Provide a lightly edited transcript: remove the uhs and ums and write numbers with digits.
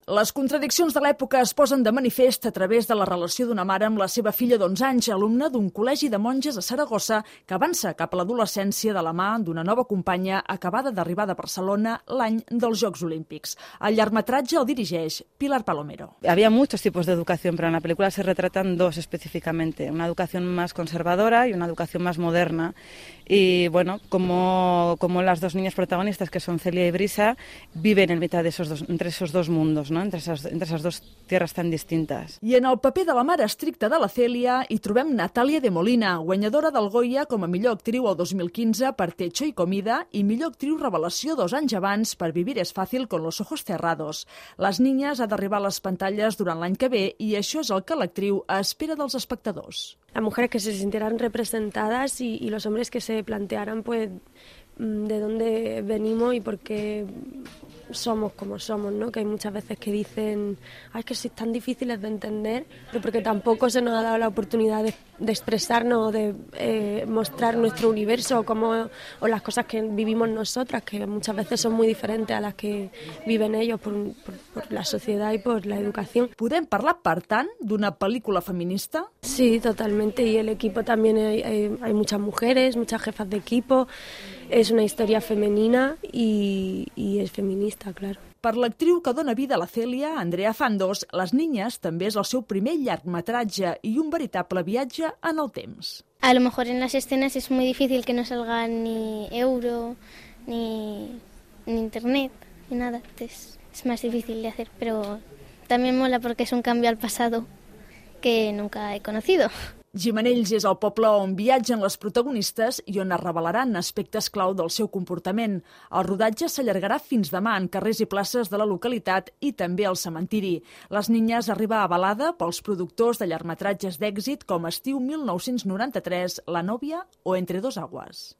Les contradiccions de l'època es posen de manifest a través de la relació d'una mare amb la seva filla d'11 anys, alumna d'un col·legi de monges a Saragossa, que avança cap a l'adolescència de la mà d'una nova companya acabada d'arribar de Barcelona l'any dels Jocs Olímpics. El llargmetratge el dirigeix Pilar Palomero. Había muchos tipos de educación, pero en la película se retratan dos específicamente, una educación más conservadora y una educación más moderna. Y bueno, como las dos niñas protagonistas, que son Celia y Brisa, viven en mitad de entre esos dos mundos, ¿no? entre esas dos tierras tan distintas. I en el paper de la mare estricta de la Celia hi trobem Natàlia de Molina, guanyadora del Goya com a millor actriu el 2015 per Techo y Comida i millor actriu revelació 2 anys abans per Vivir es fácil con los ojos cerrados. Les niñas ha d'arribar a les pantalles durant l'any que ve i això és el que l'actriu espera dels espectadors. Las mujeres que se sintieran representadas y los hombres que se plantearan pues de dónde venimos y por qué somos como somos, ¿no? Que hay muchas veces que dicen es que sois tan difíciles de entender, pero porque tampoco se nos ha dado la oportunidad de expresarnos, de mostrar nuestro universo o las cosas que vivimos nosotras, que muchas veces son muy diferentes a las que viven ellos por la sociedad y por la educación. Podem parlar, per tant, d'una pel·lícula feminista? Sí, totalmente, y el equipo también hay muchas mujeres, muchas jefas de equipo. Es una historia femenina y es feminista, claro. Per l'actriu que dona vida a la Celia, Andrea Fandos, Les niñas també és el seu primer llargmetratge i un veritable viatge en el temps. A lo mejor en las escenas es muy difícil que no salga ni euro, ni internet, ni nada. Entonces es más difícil de hacer, pero también mola porque es un cambio al pasado que nunca he conocido. Gimenells és el poble on viatgen les protagonistes i on es revelaran aspectes clau del seu comportament. El rodatge s'allargarà fins demà en carrers i places de la localitat i també al cementiri. Les niñas arriba avalada pels productors de llargmetratges d'èxit com Estiu 1993, La nòvia o Entre dos aguas.